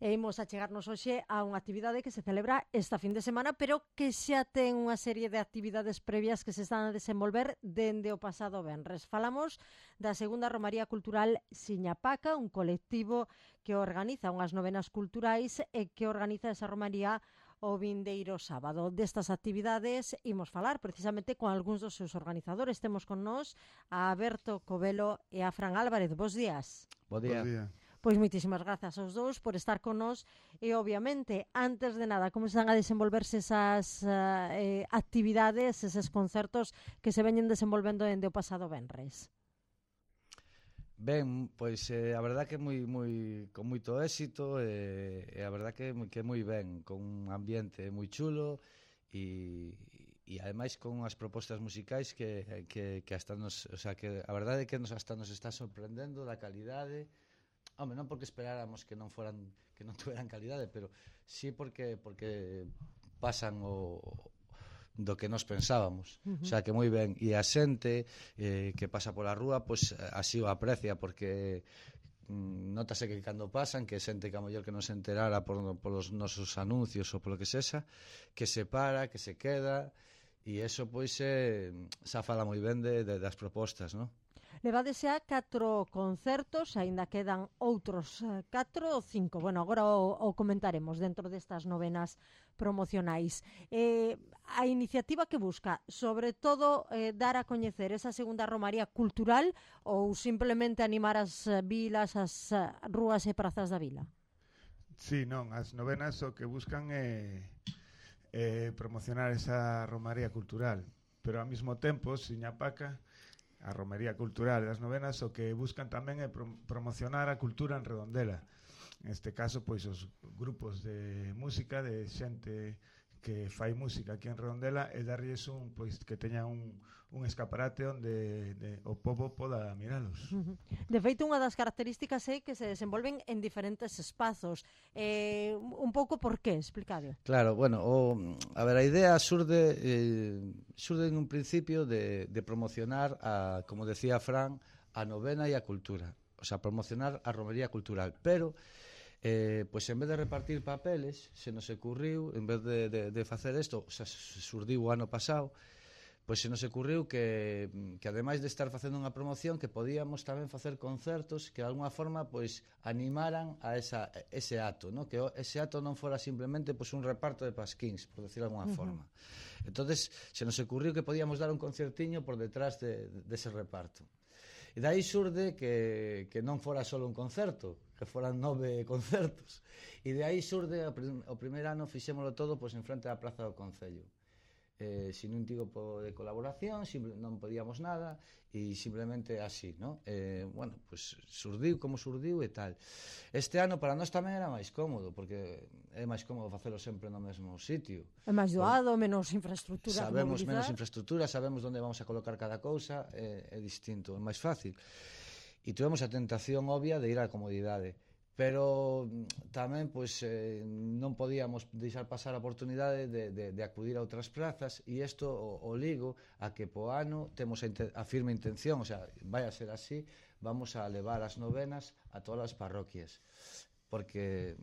e imos a chegarnos hoxe a unha actividade que se celebra esta fin de semana, pero que xa ten unha serie de actividades previas que se están a desenvolver dende o pasado venres. Falamos da segunda Romaría Cultural Siñapaca, un colectivo que organiza unhas novenas culturais e que organiza esa romaría o vindeiro sábado. Destas actividades imos falar precisamente con algúns dos seus organizadores. Temos con nós a Berto Covelo e a Fran Álvarez. Bos días. Bo día. Pois moitísimas grazas aos dous por estar con nós e, obviamente, antes de nada, como están a desenvolverse esas actividades, eses concertos que se veñen desenvolvendo dende o pasado venres? Ben, pois a verdad que con moito éxito e a verdad que moi ben, con un ambiente moi chulo e ademais con unhas propostas musicais que hasta nos, o sea, que a verdade é que hasta nos está sorprendendo da calidade. Home, non porque esperáramos que non tuveran calidade, pero sí porque pasan do que nos pensábamos. O sea, que moi ben. E a xente que pasa pola rúa, pois así o aprecia, porque notase que cando pasan, que xente que a mellor que non se enterara polos nosos anuncios ou polo que sexa, que se para, que se queda, e eso pois xa fala moi ben das propostas, non? Levades xa 4 concertos, aínda quedan outros 4 ou 5. Bueno, agora o comentaremos dentro destas novenas promocionais. A iniciativa que busca, sobre todo, dar a coñecer esa segunda romaría cultural ou simplemente animar as vilas, as rúas e prazas da vila? Sí, non, as novenas o que buscan é promocionar esa romaría cultural, pero ao mesmo tempo, Siñapaca, a romería cultural das novenas, o que buscan tamén é promocionar a cultura en Redondela. Neste caso, pois, os grupos de música, de xente que fai música aquí en Redondela, e darlles que teña un escaparate onde o pobo poda miralos. De feito, unha das características é que se desenvolven en diferentes espazos. Un pouco por qué, explicade. Claro, bueno, a ver, a idea surde en un principio de promocionar, como decía Fran, a novena e a cultura. O sea, promocionar a romería cultural, pero pois en vez de repartir papeles, se nos ocurriu, en vez de facer isto, o sea, surdiu o ano pasado, pois se nos ocurriu que ademais de estar facendo unha promoción, que podíamos tamén facer concertos que de alguna forma pois animaran a ese acto, ¿no? Que ese acto non fora simplemente pois un reparto de pasquíns, por decirlo de alguna forma. Entonces se nos ocurriu que podíamos dar un concertiño por detrás dese reparto. E dai surde que non fora só un concerto, que foran 9 concertos. E de aí surde, o primeiro ano fixémolo todo pois en frente á Praza do Concello. Sin un tipo de colaboración, non podíamos nada, e simplemente así, ¿no? Bueno, pois surdiu como surdiu e tal. Este ano para nós tamén era máis cómodo, porque é máis cómodo facelo sempre no mesmo sitio. É máis doado, menos infraestructura. Sabemos menos infraestructura, sabemos onde vamos a colocar cada cousa, é distinto, é máis fácil. E tivemos a tentación obvia de ir á comodidade, pero tamén pois non podíamos deixar pasar a oportunidade de acudir a outras plazas, e isto o ligo a que po ano temos a firme intención, o sea, vai a ser así, vamos a levar as novenas a todas as parroquias, porque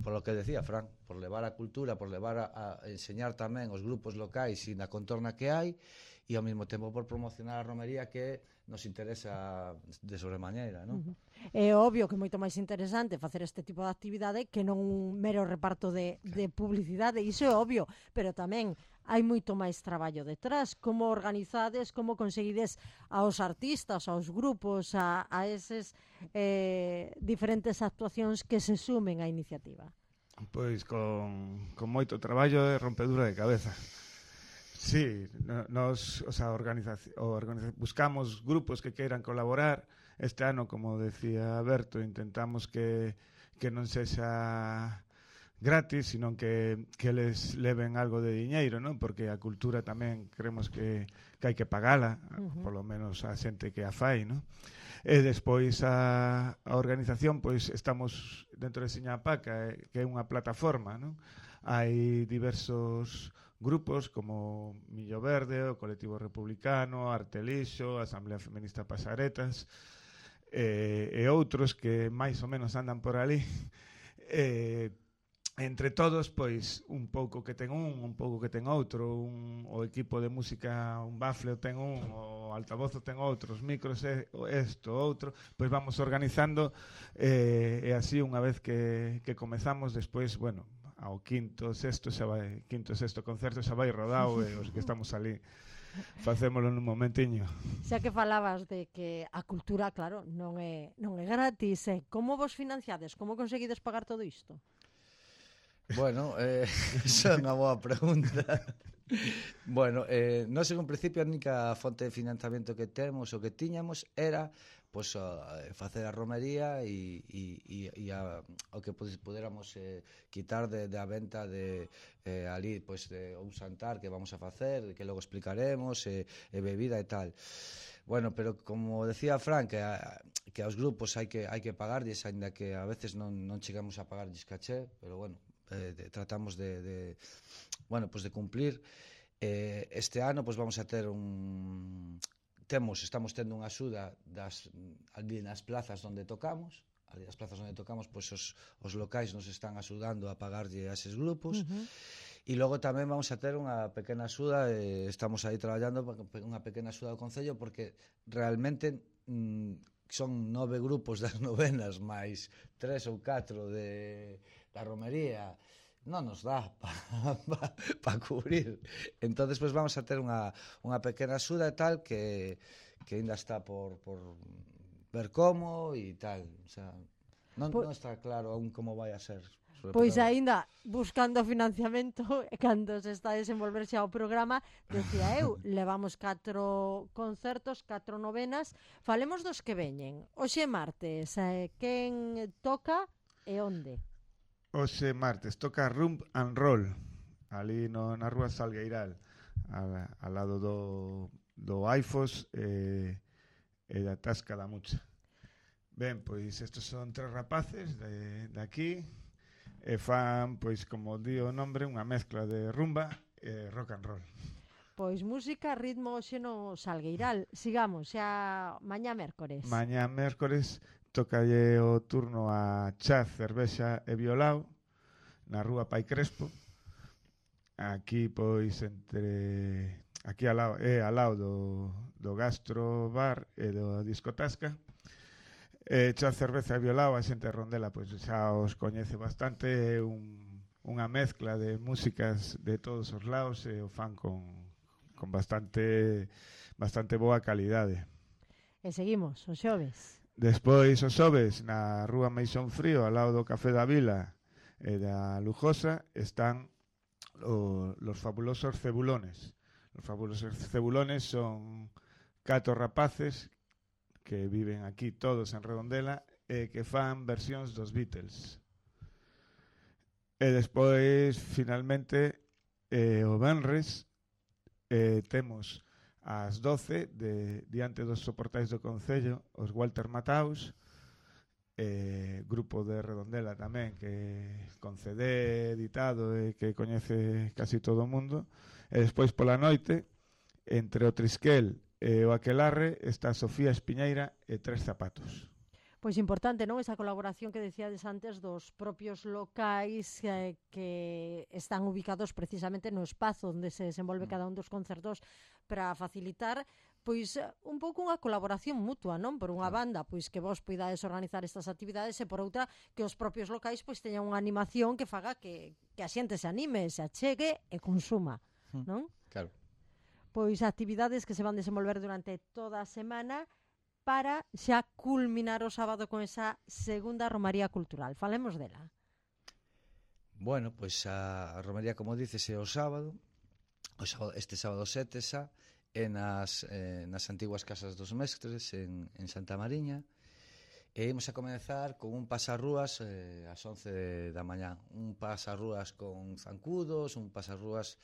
por lo que decía Fran, por levar a cultura, por levar a enseñar tamén os grupos locais e na contorna que hai, e ao mesmo tempo por promocionar a romería que nos interesa de sobremaneira, non? É obvio que é moito máis interesante facer este tipo de actividade que non un mero reparto de publicidade, iso é obvio, pero tamén hai moito máis traballo detrás. Como organizades, como conseguides aos artistas, aos grupos, a eses diferentes actuacións que se sumen á iniciativa? Pois con moito traballo e rompedura de cabeza. Sí, nos, o sea, buscamos grupos que queiran colaborar. Este ano, como decía Berto, intentamos que non sexa gratis, sino que les leven algo de diñeiro, non? Porque a cultura tamén creemos que hai que pagala, polo menos a xente que a fai, non? E despois a organización, pois estamos dentro de Siñapaca, que é unha plataforma, non? Hai diversos grupos como Millo Verde, o Colectivo Republicano, Artelixo, a Asamblea Feminista Pasaretas e outros que máis ou menos andan por ali Entre todos, pois, un pouco que ten un pouco que ten outro, o equipo de música, un bafle ten o altavoz ten outro, os micros isto, outro, pois vamos organizando, e así unha vez que comezamos, despois, bueno, ao quinto, sexto concerto xa vai rodado, e os que estamos ali facémolo nun momentiño. Xa que falabas de que a cultura, claro, non é gratis, como vos financiades? Como conseguides pagar todo isto? Bueno, esa é unha boa pregunta. Bueno, nós en un principio a única fonte de financiamento que temos, o que tiñamos, era pois, facer a romería e o que puderamos quitar da venta de ali, pois, de un xantar que vamos a facer, que logo explicaremos, bebida e tal. Bueno, pero como decía Fran, que aos grupos hai que pagarlles, aínda que a veces non chegamos a pagarlles caché, pero bueno, tratamos de cumplir. Este ano pois vamos a ter estamos tendo unha axuda ali nas plazas onde tocamos. Ali nas plazas onde tocamos, pois os locais nos están axudando a pagarlle a eses grupos. E logo tamén vamos a ter unha pequena axuda, estamos aí traballando unha pequena axuda do Concello, porque realmente son 9 grupos das novenas máis 3 ou 4 da romería, non nos dá para cubrir. Entonces, pues vamos a ter unha pequena axuda e tal que ainda está por ver como e tal. O sea, non está claro aún como vai a ser. Pois aínda buscando financiamento, cando se está a desenvolver xa o programa, decía eu, levamos 4 concertos, 4 novenas, falemos dos que veñen. Hoxe martes, quen toca e onde? Hoxe martes toca Rumb and Roll, ali na rúa Salgueiral, ao lado do Aifos e da Tasca da Mucha. Ben, pois estes son 3 rapaces de aquí, e fan, pois, como di o nombre, unha mezcla de rumba e rock and roll. Pois música, ritmo hoxe no Salgueiral. Sigamos, xa mañá mércores. Mañá mércores tocalle o turno a Chaz, Cervexa e Violao na rúa Pai Crespo. Aquí, pois, aquí ao lado do Gastro Bar e do Discotasca. Chaz, Cerveza e Violao, a xente de Rondela pois xa os coñece bastante, unha mezcla de músicas de todos os lados e o fan con bastante boa calidade. E seguimos, os xoves. Despois, os xoves, na rúa Meixón Frío, ao lado do Café da Vila e da Lujosa, están los fabulosos Cebulones. Os fabulosos Cebulones son 4 rapaces que viven aquí todos en Redondela e que fan versións dos Beatles. E despois, finalmente, o venres temos ás 12 diante dos soportais do Concello os Walter Mataus, grupo de Redondela tamén que con CD editado e que coñece casi todo o mundo. E despois pola noite, entre o Trisquel e o Aquelarre, está Sofía Espiñeira e 3 zapatos. Pois importante, non? Esa colaboración que decíades antes dos propios locais que están ubicados precisamente no espazo onde se desenvolve cada un dos concertos para facilitar pois un pouco unha colaboración mutua, non? Por unha banda, pois que vos poidades organizar estas actividades e por outra que os propios locais pois teñan unha animación que faga que a xente se anime, se achegue e consuma, non? Claro. Pois actividades que se van desenvolver durante toda a semana para xa culminar o sábado con esa segunda romaría cultural. Falemos dela. Bueno, pois a romaría, como dices, é o sábado, este sábado 7 xa, é nas antiguas casas dos mestres en Santa Mariña, e imos a comenzar con un pasarrúas ás 11 da mañá. Un pasarrúas con zancudos, un pasarrúas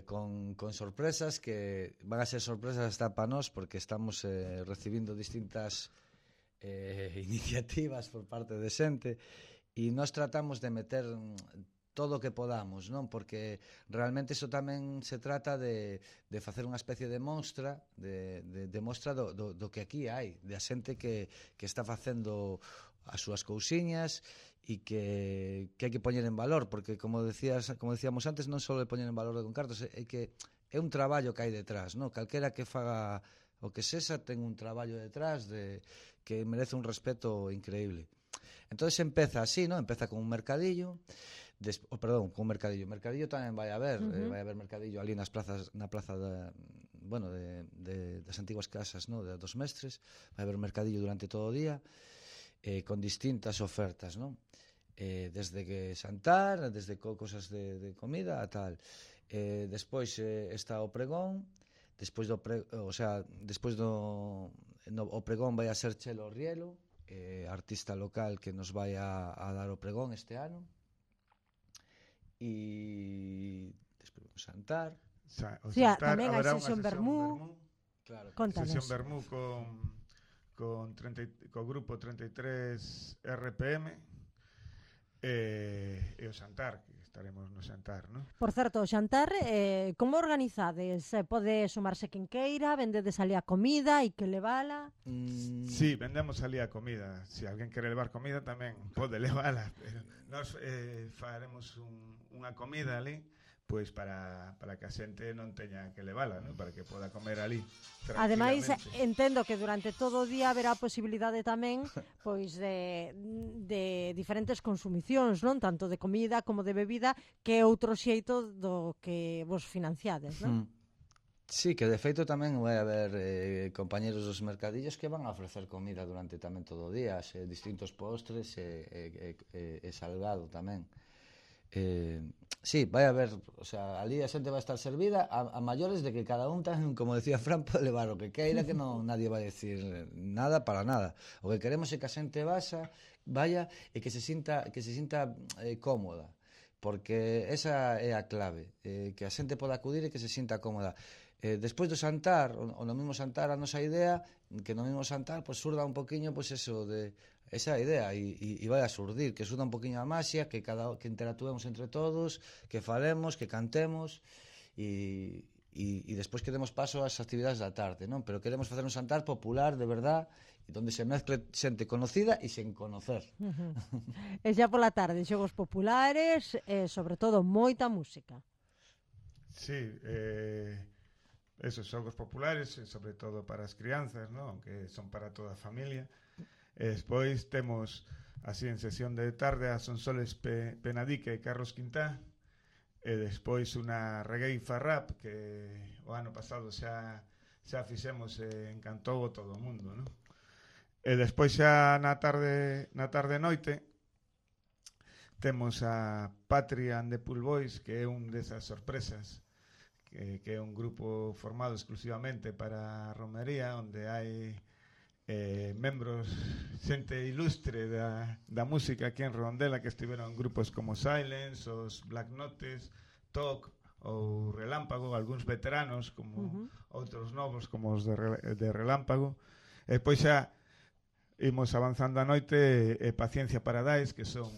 con sorpresas que van a ser sorpresas hasta para nós, porque estamos recibindo distintas iniciativas por parte de xente e nós tratamos de meter todo o que podamos, non? Porque realmente iso tamén se trata de facer unha especie de mostra de mostra do que aquí hai, da xente que está facendo as súas cousiñas e que hai que poñer en valor, porque como decíamos antes, non só de poñer en valor con cartos, é que é un traballo que hai detrás, non? Calquera que faga o que sexa ten un traballo detrás que merece un respeto increíble. Entonces empeza así, ¿no? Empeza con un mercadillo, con un mercadillo. Mercadillo tamén vai haber, vai haber mercadillo ali na plaza das antiguas casas, ¿no? Dos mestres, vai haber mercadillo durante todo o día, con distintas ofertas, ¿no? Desde que xantar, desde cosas de comida a tal. Despois está o pregón, despois do o pregón vai a ser Chelo Rielo, artista local que nos vai a dar o pregón este ano, e despois vamos xantar. Tamén hai sesión vermú. Claro, sesión vermú co grupo 33 RPM e o xantar, que estaremos no xantar, non? Por certo, o xantar, como organizades? Pode sumarse quen queira, vendedes ali a comida e que levala? Sí, vendemos ali a comida. Se alguén quere levar comida tamén pode levala. Nós faremos unha comida ali, pois para que a xente non teña que levala, non? Para que poda comer ali tranquilamente. Ademais, entendo que durante todo o día haberá a posibilidade tamén pois de diferentes consumicións, non? Tanto de comida como de bebida, que é outro xeito do que vos financiades, non? Sí, que de feito tamén vai haber compañeros dos mercadillos que van a ofrecer comida durante tamén todo o día, distintos postres e salgado tamén. Sí, vai haber, o sea, ali a xente vai estar servida a maiores de que cada un tan, como decía Fran, pode levar o que queira, que non nadie vai decir nada para nada. O que queremos é que a xente vaya e que se sinta cómoda, porque esa é a clave, que a xente poda acudir e que se sinta cómoda. Despois do xantar, o no mesmo xantar, a nosa idea, que no mesmo xantar, pues surda un poquinho, pues eso, de esa idea, e vai a surdir, que surda un poquinho a maxia, que interactuemos entre todos, que falemos, que cantemos, e despois que demos paso ás actividades da tarde, non? Pero queremos facer un xantar popular, de verdad, onde se mezcle xente conocida e sen conocer. E xa pola tarde, xogos populares, sobre todo moita música. Sí, esos xogos populares, sobre todo para as crianzas, non? Que son para toda a familia. Despois temos así en sesión de tarde a Sonsoles Penadique e Carlos Quintá, e despois unha regueifa rap que o ano pasado xa fixemos e encantou a todo o mundo, non? E despois xa na tarde noite temos a Patria and the Pool Boys, que é un desas sorpresas, que é un grupo formado exclusivamente para a romería, onde hai membros, xente ilustre da música aquí en Redondela, que estiveron en grupos como Silence, os Black Notes, TOC ou Relámpago, algúns veteranos como outros novos como os de Relámpago. E pois xa imos avanzando a noite, Paciencia Paradise, que son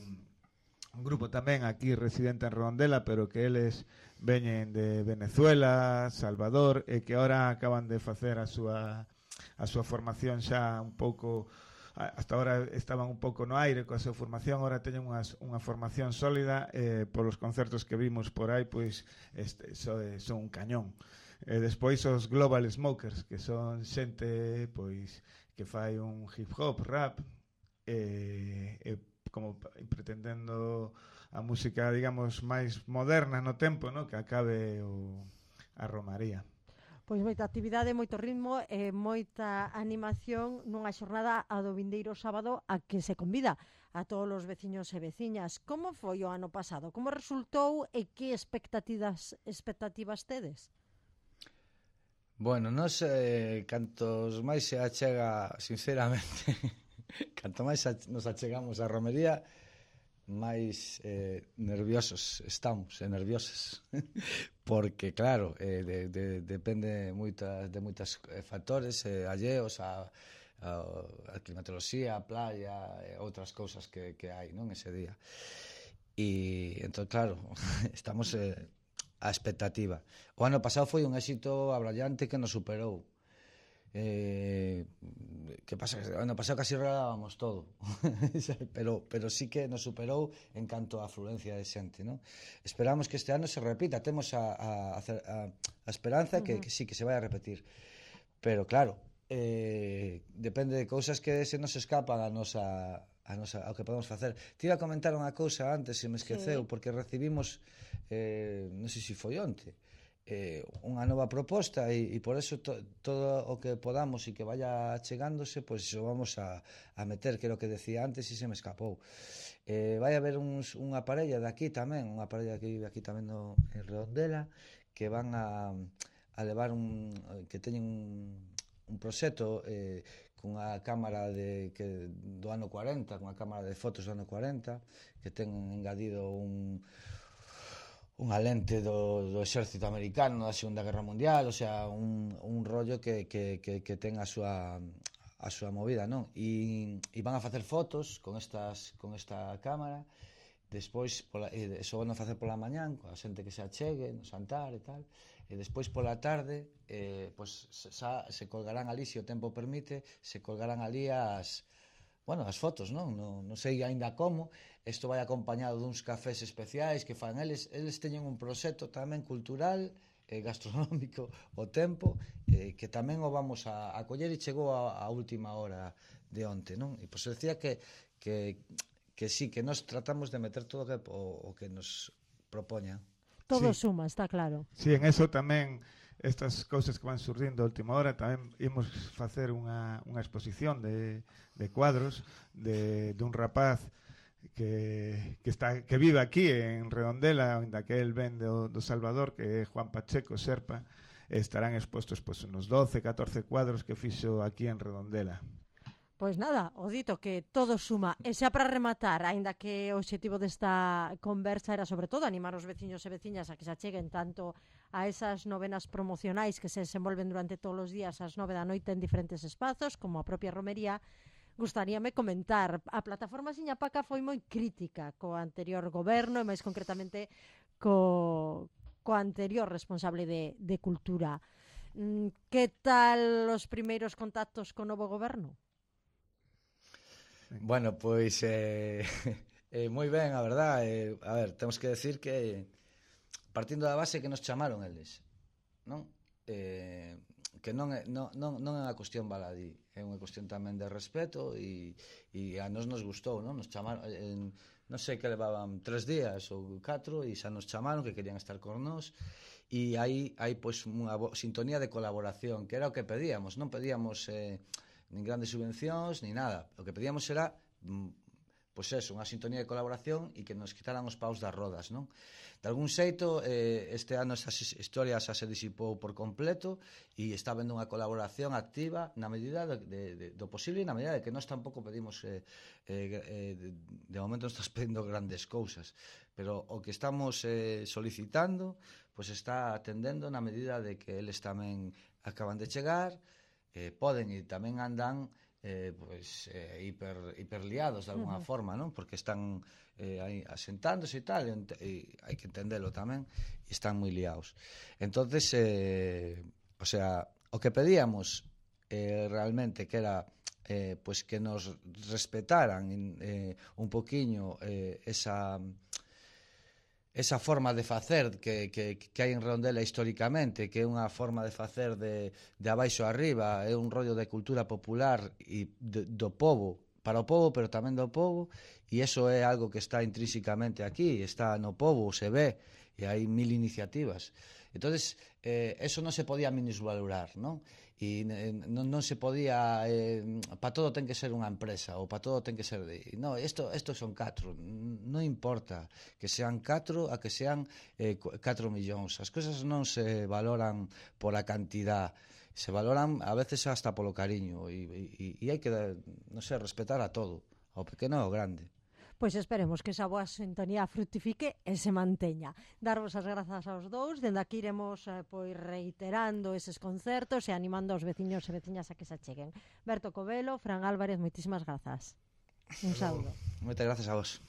un grupo tamén aquí residente en Redondela, pero que eles veñen de Venezuela, Salvador, e que ahora acaban de facer a súa formación xa un pouco, hasta ahora estaban un pouco no aire coa súa formación, ahora teñen unha formación sólida, polos concertos que vimos por aí, pois son un cañón. Despois os Global Smokers, que son xente pois que fai un hip hop, rap, como pretendendo a música, digamos, máis moderna no tempo, no? Que acabe a romaría. Pois moita actividade, moito ritmo e moita animación nunha xornada a do vindeiro sábado a que se convida a todos os veciños e veciñas. Como foi o ano pasado? Como resultou e que expectativas tedes? Bueno, nos cantos máis se achega, sinceramente, canto máis nos achegamos á romería, máis nerviosos estamos, nerviosas, porque claro, depende de moitos factores alleos a climatoloxía, a playa, outras cousas que hai, non, ese día. E entón, claro, estamos a expectativa. O ano pasado foi un éxito abrallante que nos superou. que pasa que ano pasado casi regalábamos todo pero sí que nos superou en canto a afluencia de xente, ¿no? Esperamos que este ano se repita, temos a esperanza que sí, que se vai a repetir, pero claro, depende de cousas que se nos escapan ao que podemos facer. Te iba a comentar unha cousa antes, se me esqueceu, porque recibimos non sei se foi onte, unha nova proposta e por eso todo o que podamos e que vaya chegándose, pois iso vamos a meter, que é o que decía antes e se me escapou. Vai haber unha parella de aquí tamén, unha parella que vive aquí tamén en Redondela, que van a levar que teñen un proxecto cunha cámara do ano 40, cunha cámara de fotos do ano 40, que ten engadido unha lente do exército americano da Segunda Guerra Mundial, o sea, un rollo que ten a súa movida, non? E van a facer fotos con esta cámara, despois eso van a facer pola mañán, coa xente que se achegue no Xantar e tal, e despois pola tarde pois se colgarán ali, se o tempo permite, se colgarán ali as fotos, non? Non sei aínda como. Isto vai acompañado duns cafés especiais que fan eles teñen un proxecto tamén cultural e gastronómico o tempo, que tamén o vamos a coller e chegou a última hora de onte, non? E pois decía que sí, que nos tratamos de meter todo o que nos propoña. Todo suma, está claro. Sí, en eso tamén estas cousas que van surdindo a última hora, tamén imos facer unha exposición de cuadros dun rapaz que vive aquí en Redondela, onde que el ven do Salvador, que é Juan Pacheco Serpa. Estarán expostos uns 12, 14 cuadros que fixo aquí en Redondela. Pois nada, o dito, que todo suma. E xa para rematar, aínda que o obxectivo desta conversa era sobre todo animar os veciños e veciñas a que se acheguen tanto a esas novenas promocionais que se desenvolven durante todos os días ás 9 da noite en diferentes espazos, como a propia romería, gustaríame comentar. A plataforma Siñapaca foi moi crítica co anterior goberno e máis concretamente co anterior responsable de Cultura. Que tal os primeiros contactos co novo goberno? Bueno, pois moi ben, a verdad. A ver, temos que decir que partindo da base que nos chamaron eles, non? Que non é unha cuestión baladí, é unha cuestión tamén de respeto e a nos gustou, non? Nos chamaron, non sei que levaban 3 días ou 4 e xa nos chamaron que querían estar con nós e hai pois unha sintonía de colaboración, que era o que pedíamos, non pedíamos nin grandes subvencións, ni nada. O que pedíamos era pois eso, unha sintonía de colaboración e que nos quitaran os paus das rodas, non? De algún xeito, este ano esa historia xa se disipou por completo e está vendo unha colaboración activa na medida do posible e na medida de que nós tampouco pedimos de momento non estás pedindo grandes cousas, pero o que estamos solicitando pois está atendendo na medida de que eles tamén acaban de chegar, poden e tamén andan hiperliados de alguna forma, non? Porque están aí asentándose e tal, e hai que entendelo tamén, e están moi liados. Entonces, o sea, o que pedíamos realmente que era pois que nos respetaran un poquiño esa forma de facer que hai en Redondela históricamente, que é unha forma de facer de abaixo arriba, é un rollo de cultura popular e do povo, para o povo, pero tamén do povo, e iso é algo que está intrínsecamente aquí, está no povo, se ve, e hai 1000 iniciativas. Entonces, eso non se podía minusvalorar, non? E non se podía, para todo ten que ser unha empresa, ou para todo ten que ser no, isto son 4, non importa que sean 4 a que sean 4 millóns, as cousas non se valoran pola cantidad, se valoran a veces hasta polo cariño e hai que, non sei, respetar a todo, ao pequeno e ao grande. Pois esperemos que esa boa sintonía fructifique e se manteña. Darvos as grazas aos dous, dende aquí iremos pois reiterando eses concertos e animando aos veciños e veciñas a que se acheguen. Berto Covelo, Fran Álvarez, moitísimas grazas. Un saúdo. Moitas grazas a vos.